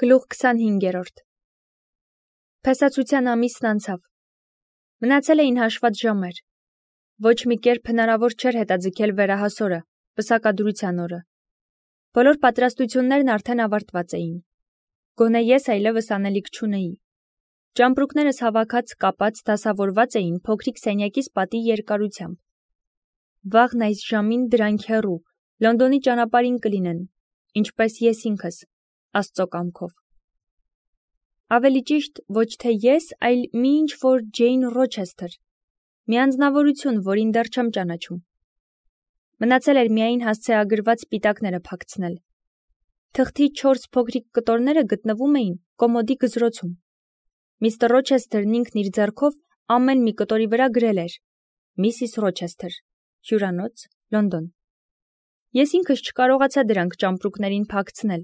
Գլուխ 25-րդ Փեսացության ամիսն անցավ։ Մնացել էին հաշված ժամեր։ Ոչ մի կերպ հնարավոր չէր հետաձգել վերահասորը, պսակադրության օրը։ Բոլոր պատրաստություններն արդեն ավարտված էին։ Գոնե ես այլևս անելիք չունեի։ Ճամպրուկներս հավաքած, կապած, դասավորված էին փոքրիկ սենյակիս պատի երկարությամբ։ Վաղն այս ժամին դրանք հեռու, Լոնդոնի ճանապարհին կլինեն, ինչպես ես ինքս, Աստծո կամքով։ Ավելի ճիշտ, ոչ թե ես, այլ մի ինչ-որ Ջեյն Ռոչեսթեր, մի անձնավորություն, որին դեռ չեմ ճանաչում։ Մնացել էր միայն հասցեագրված սպիտակները փակցնել։ Թղթի 4 փոքրիկ կտորները գտնվում էին կոմոդի գզրոցում։ Միստր Ռոչեսթերն ինքն իր ձեռքով ամեն մի կտորի վրա գրել էր. Միսիս Ռոչեսթեր, հյուրանոց, Լոնդոն։ Ես ինքս չկարողացա դրանք ճամպրուկներին փակցնել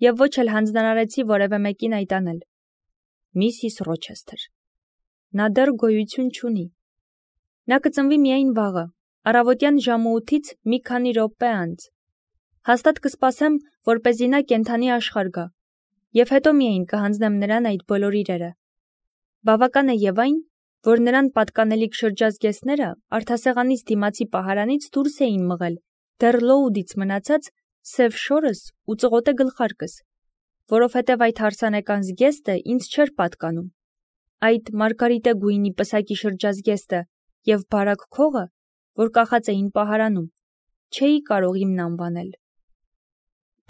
և ոչ էլ հանձնարարեցի որևէ մեկին այդ անել։ Միսիս Ռոչեսթեր։ Նա դեռ գոյություն չունի։ Նա կծնվի միայն վաղը, առավոտյան ժամը 8-ից մի քանի րոպե անց։ Հաստատ կսպասեմ, որպեսզի նա կենդանի աշխարհ գա, և հետո միայն կհանձնեմ նրան այդ բոլոր իրերը։ Բավական է և այն, որ նրան պատկանելիք շրջազգեստները արդասեղանիս դիմացի պահարանից դուրս էին մղել դեռ լոուդից մնացած սև շորս ու ծղոտե գլխարկս, որովհետև այդ հարսանեկան զգեստը ինձ չէր պատկանում։ Այդ մարգարիտե գույնի պսակի շրջազգեստը և բարակ քողը, որ կախած էին պահարանում, չէի կարող իմն անվանել։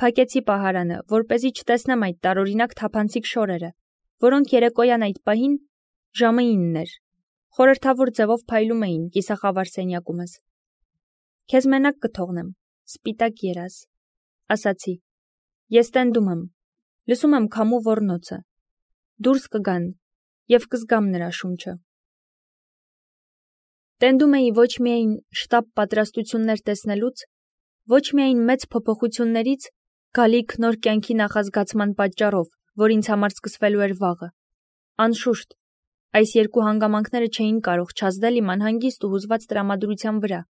Փակեցի պահարանը, որպեսզի չտեսնեմ այդ տարօրինակ թափանցիկ շորերը, որոնք երեկոյան այդ պահին ժամը 9 էր, խորհրդավոր ձևով փայլում էին կիսախավար սենյակումս։ Քեզ մենակ կթողնեմ, սպիտակ երազ, ասացի։ Ես տենդում եմ, լսում եմ քամու ոռնոցը։ Դուրս կգան և կզգամ նրա շունչը։ Տենդում էի ոչ միայն շտապ պատրաստություններ տեսնելուց, ոչ միայն մեծ փոփոխություններից, գալիք նոր կյանքի նախազգացման պատճառով, որ ինձ համար սկսվելու էր վաղը։ Անշուշտ, այս երկու հանգամանքները չէին կարող չազդել իմ անհանգիստ ու հուզված տրամադրության վրա,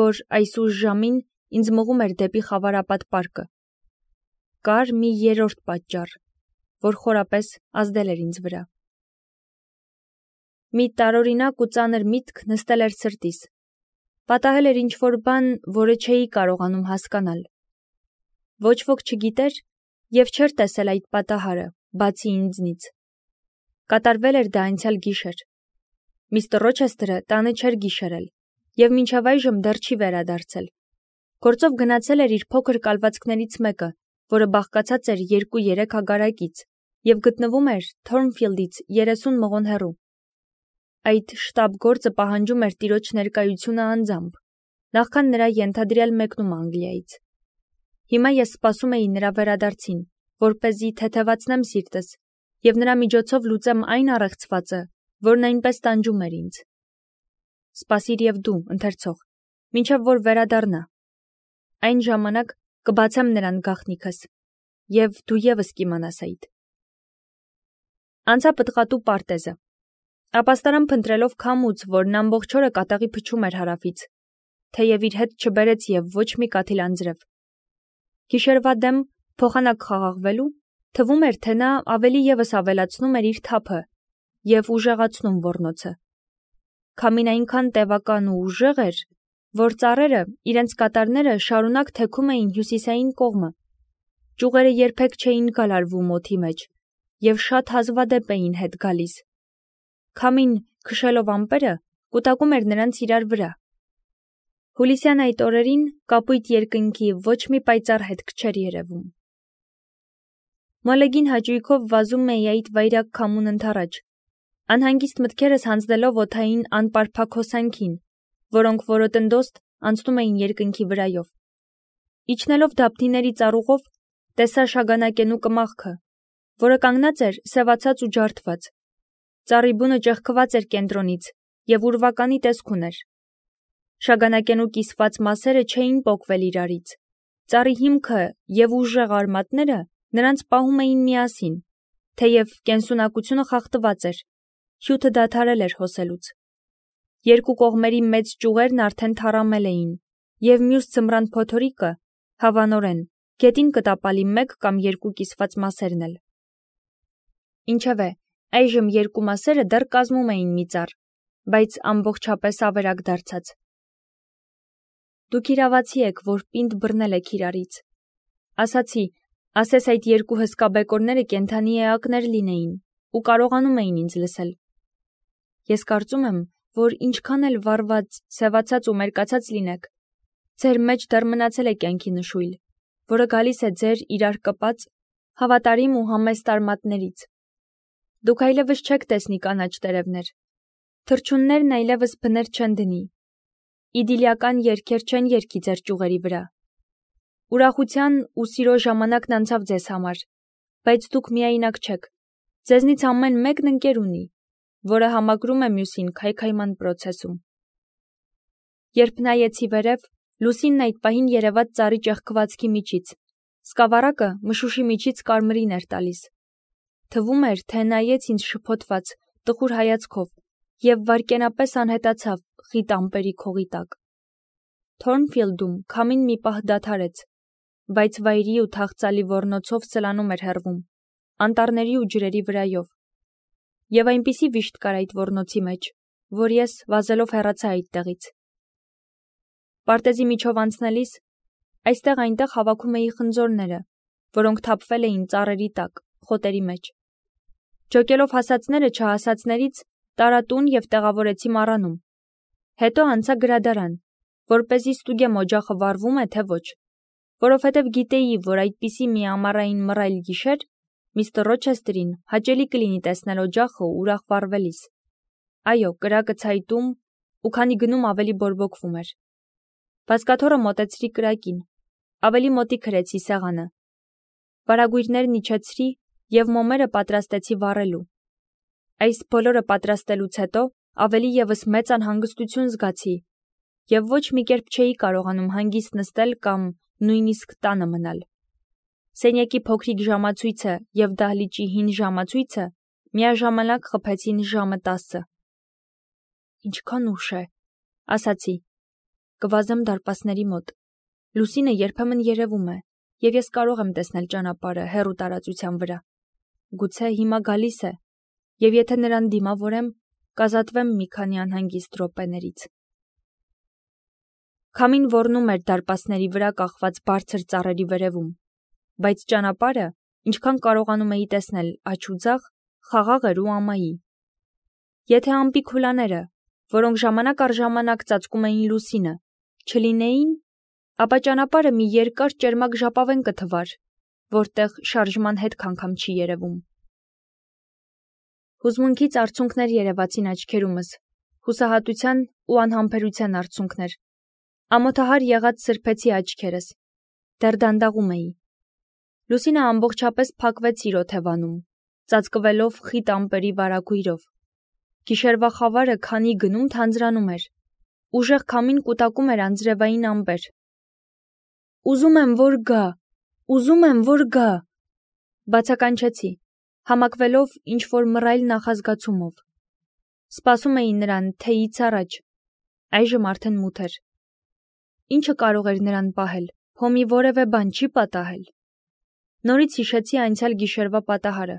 որ այս ուշ ժամին ինձ մղում էր դեպի Խավարապատ պարկը։ Կար մի երրորդ պատճառ, որ խորապես ազդել էր ինձ վրա։ Մի տարօրինակ ու ծանր միտք նստել էր սրտիս։ Պատահել էր ինչ-որ բան, որը չէի կարողանում հասկանալ։ Ոչ ոք չգիտեր և չէր տեսել այդ պատահարը, բացի ինձնից։ Կատարվել էր դա անցյալ գիշեր։ Միստր Ռոչեսթերը տանը չէր գիշերել և մինչև այժմ դեռ չի վերադարձել։ Գործով գնացել էր իր փոքր կալվածքներից մեկը, որը բաղկացած էր 2-3 հագարակից և գտնվում էր Թորնֆիլդից 30 մղոն հեռու։ Այդ շտապ գործը պահանջում էր տիրոջ ներկայությունը անձամբ, նախքան նրա ենթադրյալ մեկնում Անգլիայից։ Հիմա ես սպասում էի նրա վերադարձին, որպեսզի թեթևացնեմ սիրտս և նրա միջոցով լուծեմ այն առեղծվածը, որն այնպես տանջում էր ինձ։ Սպասիր և դու, ընթերցող, մինչև որ վերադառնա։ Այն ժամանակ կբացեմ նրան գաղտնիքս, և դու ևս կիմանաս այդ։ Անցա պտղատու պարտեզը։ Ապաստարան փնտրելով քամուց, որն ամբողջ օրը կատաղի փչում էր հարավից, թեև իր հետ չբերեց և ոչ մի կաթիլ անձրև։ Գիշերվա դեմ փոխանակ խաղաղվելու, թվում էր, թե նա ավելի ևս ավելացնում էր իր թափը և ուժեղացնում ոռնոցը։ Քամին այնքան տևական ու ուժեղ էր, որ ծառերը իրենց կատարները շարունակ թեքում էին հյուսիսային կողմը։ Ճյուղերը երբեք չէին գալարվում օդի մեջ և շատ հազվադեպ էին հետ գալիս։ Քամին, քշելով ամպերը, կուտակում էր նրանց իրար վրա։ Հուլիսյան այդ օրերին կապույտ երկնքի ոչ մի պայծառ հետք չէր երևում։ Մոլեգին հաճույքով վազում էի այդ վայրագ քամուն ընդառաջ, անհանգիստ մտքերս հանձնելով օդային անպարփակ հոսանքին, որոնք որոտնդոստ անցնում էին երկնքի վրայով։ Իջնելով դափնիների ծառուղով, տեսա շագանակենու կմախքը, որը կանգնած էր սևացած ու ջարդված։ Ծառի բունը ճեղքված էր կենտրոնից և ուրվականի տեսք ուներ։ Շագանակենու կիսված մասերը չէին պոկվել իրարից։ Ծառի հիմքը և ուժեղ արմատները նրանց պահում էին միասին, թեև կենսունակությունը խախտված էր, հյութը դադարել էր հոսելուց։ Երկու կողմերի մեծ ճյուղերն արդեն թառամել էին, և մյուս ձմռան փոթորիկը, հավանորեն, գետին կտապալի 1 կամ 2 կիսված մասերն էլ։ Ինչևէ, այժմ երկու մասերը դեռ կազմում էին մի ծառ, բայց ամբողջապես ավերակ դարձած։ Դուք իրավացի եք, որ պինդ բռնել եք իրարից։ Ասացի, ասես այդ երկու հսկա բեկորները կենդանի էակներ լինեին ու կարողանում էին ինձ լսել։ Ես կարծում եմ, որ ինչքան էլ վառված, սևացած ու մերկացած լինեք, ձեր մեջ դեռ մնացել է կյանքի նշույլ, որը գալիս է ձեր իրար կպած, հավատարիմ ու համեստ արմատներից։ Դուք այլևս չեք տեսնի կանաչ տերևներ, թռչուններն այլևս բներ չեն դնի, իդիլիական երգեր չեն երգի ձեր ճյուղերի վրա։ Ուրախության ու սիրո ժամանակն անցավ ձեզ համար, բայց դուք միայնակ չեք, ձեզնից ամեն մեկն ընկեր ունի, որը համակրում է մյուսին քայքայման պրոցեսում։ Երբ նայեցի վերև, լուսինն այդ պահին երևաց ծառի ճեղքվածքի միջից, սկավառակը մշուշի միջից կարմրին էր տալիս։ Թվում էր, թե նայեց ինձ շփոթված, տխուր հայացքով և վայրկենապես անհետացավ խիտ ամպերի քողի տակ։ Թորնֆիլդում քամին մի պահ դադարեց, բայց վայրի ու թախծալի ոռնոցով սլանում էր հեռվում, անտառների ու ջրերի վրայով։ Եվ այնպիսի վիշտ կար այդ ոռնոցի մեջ, որ ես վազելով հեռացա այդտեղից։ Պարտեզի միջով անցնելիս, այստեղ-այնտեղ հավաքում էի խնձորները, որոնք թափվել էին ծառերի տակ, խոտերի մեջ։ Ջոկելով հասածները չհասածներից, տարա տուն և տեղավորեցի մառանում։ Հետո անցա գրադարան, որպեսզի ստուգեմ օջախը վառվում է, թե ոչ, որովհետև գիտեի, որ այդպիսի մի ամառային մռայլ գիշեր միստր Ռոչեսթերին հաճելի կլինի տեսնել օջախը ուրախ վառվելիս։ Այո, կրակը ցայտում ու քանի գնում ավելի բորբոքվում էր։ Բազկաթոռը մոտեցրի կրակին, ավելի մոտիկ հրեցի սեղանը։ Վարագույրներն իջեցրի և մոմերը պատրաստեցի վառելու։ Այս բոլորը պատրաստելուց հետո ավելի ևս մեծ անհանգստություն զգացի և ոչ մի կերպ չէի կարողանում հանգիստ նստել կամ նույնիսկ տանը մնալ։ Սենյակի փոքրիկ ժամացույցը և դահլիճի հին ժամացույցը միաժամանակ խփեցին ժամը 10։ Ինչքան ուշ է, ասացի, կվազեմ դարպասների մոտ։ Լուսինը երբեմն երևում է, և ես կարող եմ տեսնել ճանապարհը հեռու տարածության վրա։ Գուցե հիմա գալիս է, և եթե նրան դիմավորեմ, կազատվեմ մի քանի անհանգիստ րոպեներից։ Քամին ոռնում էր դարպասների վրա կախված բարձր ծառերի վերևում, բայց ճանապարհը, ինչքան կարողանում էի տեսնել աջ ու ձախ, խաղաղ էր ու ամայի։ Եթե ամպի քուլաները, որոնք ժամանակ առ ժամանակ ծածկում էին լուսինը, չլինեին, ապա ճանապարհը մի երկար ճերմակ ժապավեն կթվար, որտեղ շարժման հետք անգամ չի երևում։ Հուզմունքից արցունքներ երևացին աչքերումս, հուսահատության ու անհամբերության արցունքներ։ Ամոթահար եղած սրբեցի աչքերս, դեռ դանդաղում էի։ Լուսինը ամբողջապես փակվեց իր օթևանում, ծածկվելով խիտ ամպերի վարագույրով։ Գիշերվա խավարը քանի գնում թանձրանում էր, ուժեղ քամին կուտակում էր անձրևային ամպեր։ Ուզում եմ, որ գա, ուզում եմ, որ գա, բացականչեցի, համակվելով ինչ-որ մռայլ նախազգացումով։ Սպասում էի նրան թեյից առաջ, այժմ արդեն մութ էր։ Ինչը կարող էր նրան պահել, հոմի որևէ բան չի պատահել։ Նորից հիշեցի անցյալ գիշերվա պատահարը։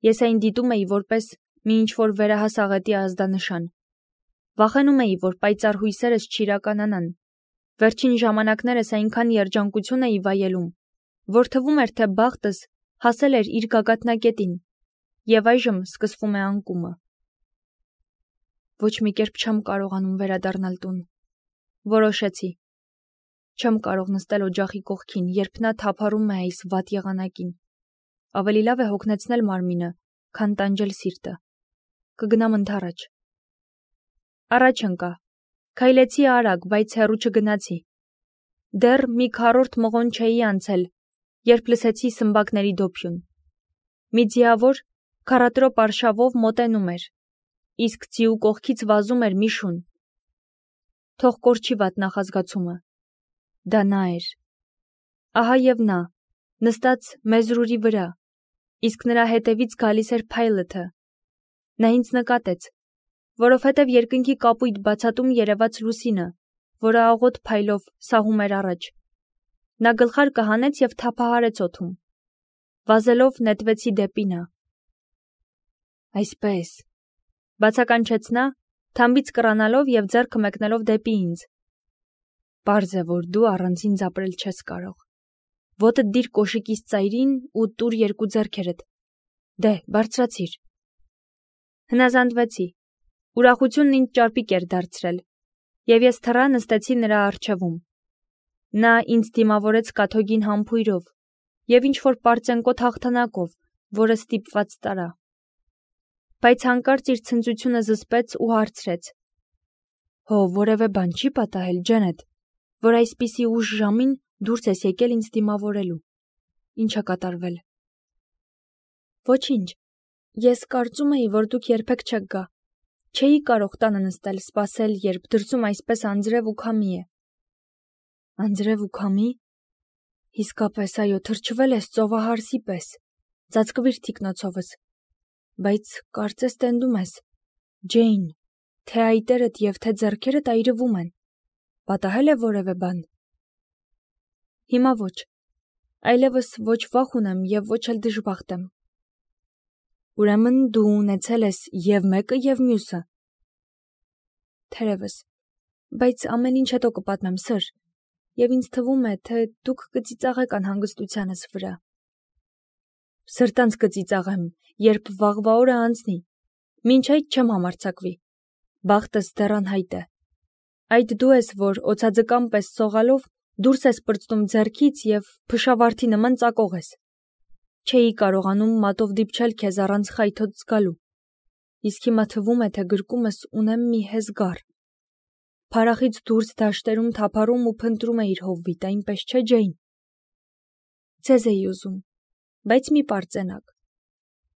Ես այն դիտում էի որպես մի ինչ-որ վերահաս աղետի ազդանշան։ Վախենում էի, որ պայծառ հույսերս չիրականանան։ Վերջին ժամանակներս այնքան երջանկություն էի վայելում, որ թվում էր, թե բախտս հասել էր իր գագաթնակետին, և այժմ սկսվում է անկումը։ Ոչ մի կերպ չեմ կարողանում վերադառնալ տուն, որոշեցի։ Չեմ կարող նստել օջախի կողքին, երբ նա թափառում է այս վատ եղանակին։ Ավելի լավ է հոգնեցնել մարմինը, քան տանջել սիրտը։ Կգնամ ընդառաջ։ Առաջ ընկա։ Քայլեցի արագ, բայց հեռու չգնացի։ Դեռ մի քառորդ մղոն չէի անցել, երբ լսեցի սմբակների դոփյուն։ Մի ձիավոր քառատրոպ արշավով մոտենում էր, իսկ ձիու կողքից վազում էր մի շուն։ Թող կորչի վատ նախազգացումը։ Դա նա էր։ Ահա և նա, նստած մեզրուրի վրա, իսկ նրա հետևից գալիս էր փայլըթը։ Նա ինձ նկատեց, որովհետև երկնքի կապույտ բացատում երևաց լուսինը, որը աղոտ փայլով սահում էր առաջ։ Նա գլխարկը հանեց և թափահարեց օդում։ Վազելով նետվեցի դեպի նա։ Այսպես, բացականչեց նա, թամբից կռանալով և ձեռքը մեկնելով դեպի ինձ. Պարզ է, որ դու առանց ինձ ապրել չես կարող։ Ոտդ դիր կոշիկիս ծայրին ու տուր երկու ձեռքերդ։ Դե, բարձրացիր։ Հնազանդվեցի։ Ուրախությունն ինձ ճարպիկ էր դարձրել, և ես թռա նստեցի նրա առջևում։ Նա ինձ դիմավորեց կաթոգին համբույրով և ինչ-որ պարծենկոտ հաղթանակով, որը ստիպված տարա։ Բայց հանկարծ իր ցնծությունը զսպեց ու հարցրեց. Հո որևէ բան չի պատահել, Ջենետ, որ այսպիսի ուշ ժամին դուրս ես եկել ինձ դիմավորելու։ Ինչ է կատարվել։ Ոչինչ։ Ես կարծում էի, որ դուք երբեք չեք գա։ Չէի կարող տանը նստել, սպասել, երբ դրսում այսպես անձրև ու քամի է։ Անձրև ու քամի։ Իսկապես, այո, թրջվել ես ծովահարսի պես, ծածկվիր թիկնոցովս, բայց կարծես տենդում ես, Ջեյն, թե այտերդ և թե ձեռքերդ այրվում են, պատահել է որևէ բան։ Հիմա ոչ, այլևս ոչ վախ ունեմ և ոչ էլ դժբախտ եմ։ Ուրեմն դու ունեցել ես և մեկը և մյուսը։ Թերևս, բայց ամեն ինչ հետո կպատմեմ, սըր, և ինձ թվում է, թե դուք կծիծաղեք անհանգստությանս վրա։ Սրտանց կծիծաղեմ, երբ վաղվա օրը անցնի, մինչ այդ չեմ համարձակվի, բախտս դեռ անհայտ է։ Այդ դու ես, որ օձաձկան պես սողալով դուրս ես պրծնում ձեռքից և փշավարդի նման ծակող ես։ Չէի կարողանում մատով դիպչել քեզ առանց խայթոց զգալու, իսկ հիմա թվում է, թե գրկումս ունեմ մի հեզգար։ Փարախից դուրս դաշտերում թափառում ու փնտրում է իր հովիտ, այնպես չէ, Ջեյն։ Ձեզ էի ուզում, բայց մի պարծենակ։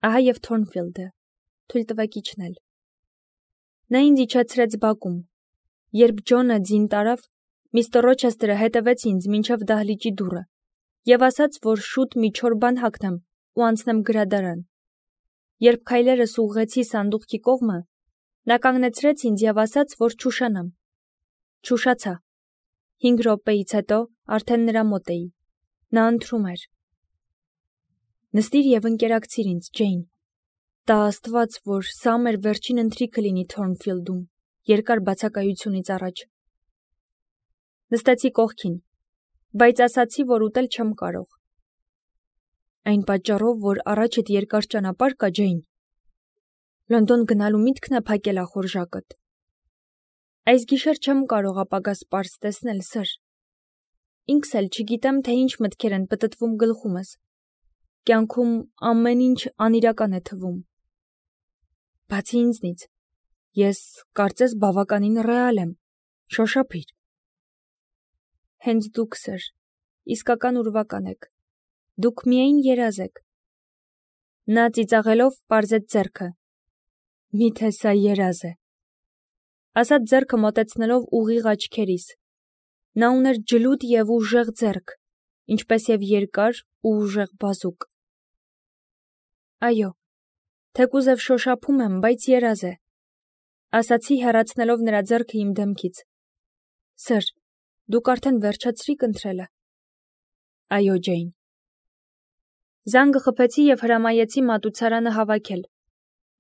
Ահա և Թորնֆիլդը, թույլ տվեք իջնել։ Նա ինձ իջեցրեց բակում։ Երբ Ջոնը ձին տարավ, միստր Ռոչեսթերը հետևեց ինձ մինչև դահլիճի դուռը և ասաց, որ շուտ մի չոր բան հագնեմ ու անցնեմ գրադարան։ Երբ քայլերս ուղղեցի սանդուղքի կողմը, նա կանգնեցրեց ինձ և ասաց, որ չուշանամ։ Չուշացա։ 5 րոպեից հետո արդեն նրա մոտ էի։ Նա ընթրում էր։ Նստիր և ընկերակցիր ինձ, Ջեյն։ Տա Աստված, որ սա մեր վերջին ընթրիքը լինի Թորնֆիլդում, երկար բացակայությունից առաջ։ Նստեցի կողքին, բայց ասացի, որ ուտել չեմ կարող։ Այն պատճառով, որ առաջդ երկար ճանապարհ կա, Ջեյն։ Լոնդոն գնալու միտքն է փակել ախորժակդ։ Այս գիշեր չեմ կարող ապագաս պարզ տեսնել, սըր։ Ինքս էլ չգիտեմ, թե ինչ մտքեր են պտտվում գլխումս։ Կյանքում ամեն ինչ անիրական է թվում։ Բացի ինձնից, ես կարծես բավականին ռեալ եմ, շոշափիր։ Հենց դուք, սըր, իսկական ուրվական եք, դուք միայն երազ եք։ Նա ծիծաղելով պարզեց ձեռքը։ Միթե սա երազ է։ Ասաց ձեռքը մոտեցնելով ուղիղ աչքերիս։ Նա ուներ ջլուդ և ուժեղ ձեռք, ինչպես և երկար ու ուժեղ բազուկ։ Այո, թեկուզև շոշափում եմ, բայց երազ է, ասացի հեռացնելով նրա ձեռքը իմ դեմքից։ Սըր, դուք արդեն վերջացրիք ընթրելը։ Այո, Ջեյն։ Զանգը խփեցի և հրամայեցի մատուցարանը հավաքել։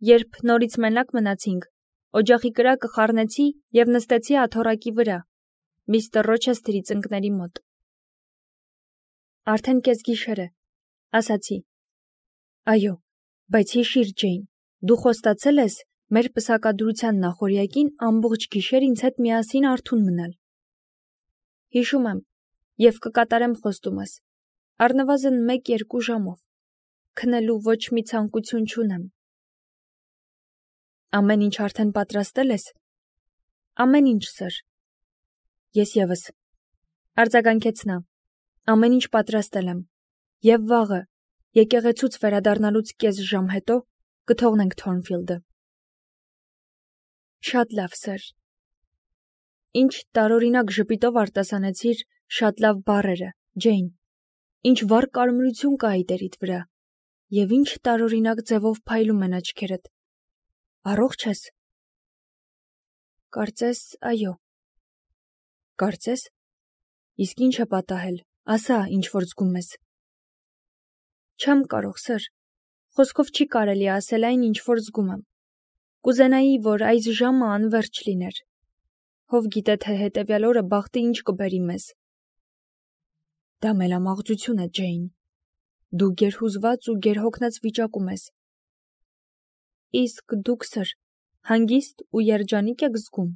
Երբ նորից մենակ մնացինք, օջախի կրակը խառնեցի և նստեցի աթոռակի վրա, միստր Ռոչեսթերի ծնկների մոտ։ Արդեն կեսգիշեր է, ասացի։ Այո, բայց հիշիր, Ջեյն, դու խոստացել ես մեր պսակադրության նախօրյակին ամբողջ գիշեր ինձ հետ միասին արթուն մնալ։ Հիշում եմ և կկատարեմ խոստումս, առնվազն 1-2 ժամով, քնելու ոչ մի ցանկություն չունեմ։ Ամեն ինչ արդեն պատրաստել ես։ Ամեն ինչ, սըր։ Ես ևս, արձագանքեց նա, ամեն ինչ պատրաստել եմ, և վաղը, եկեղեցուց վերադառնալուց կես ժամ հետո, կթողնենք Թորնֆիլդը։ Շատ լավ, սըր։ Ինչ տարօրինակ ժպիտով արտասանեցիր շատ լավ բառերը, Ջեյն, ինչ վառ կարմրություն կա այտերիդ վրա, և ինչ տարօրինակ ձևով փայլում են աչքերդ։ Առողջ ես։ Կարծես, այո։ Կարծես։ Իսկ ինչ է պատահել, ասա, ինչ որ զգում ես։ Չեմ կարող, սըր։ Խոսքով չի կարելի ասել այն, ինչ որ զգում եմ։ Կուզենայի, որ այս ժամը անվերջ լիներ։ Ով գիտե, թե հետևյալ օրը բախտը ինչ կբերի մեզ։ Դա մելամաղձություն է, Ջեյն։ Դու գերհուզված ու գերհոգնած վիճակում ես։ Իսկ դուք, սր, հանգիստ ու երջանիկ եք զգում։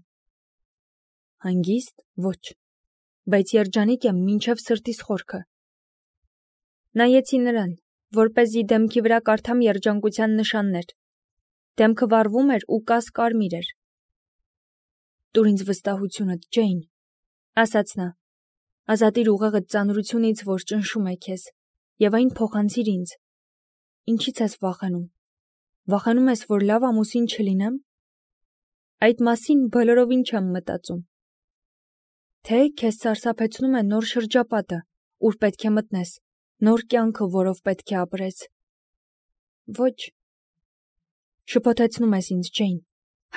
Հանգիստ, ոչ, բայց երջանիկ եմ մինչև սրտիս խորքը։ Նայեցի նրան, որպեսզի դեմքի վրա կարդամ երջանկության նշաններ։ Դեմքը վառվում էր ու կասկարմիր էր։ Տուր ինձ վստահությունդ, Ջեյն, ասաց նա։ Ազատիր ուղեղդ ծանրությունից, որ ճնշում է քեզ, եւ այն փոխանցիր ինձ։ Ինչից ես վախենում։ Վախենում ես, որ լավ ամուսին չլինեմ։ Այդ մասին բոլորովին չեմ մտածում։ Թե քեզ սարսափեցնում է նոր շրջապատը, ուր պետք է մտնես, նոր կյանքը, որով պետք է ապրես։ Ոչ։ Շփոթեցնում ես ինձ, Ջեյն։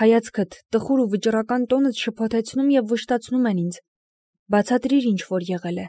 Հայացքդ, տխուր ու վճռական տոնդ շփոթեցնում եւ վշտացնում են ինձ։ Բացատրիր ինչ որ եղել է։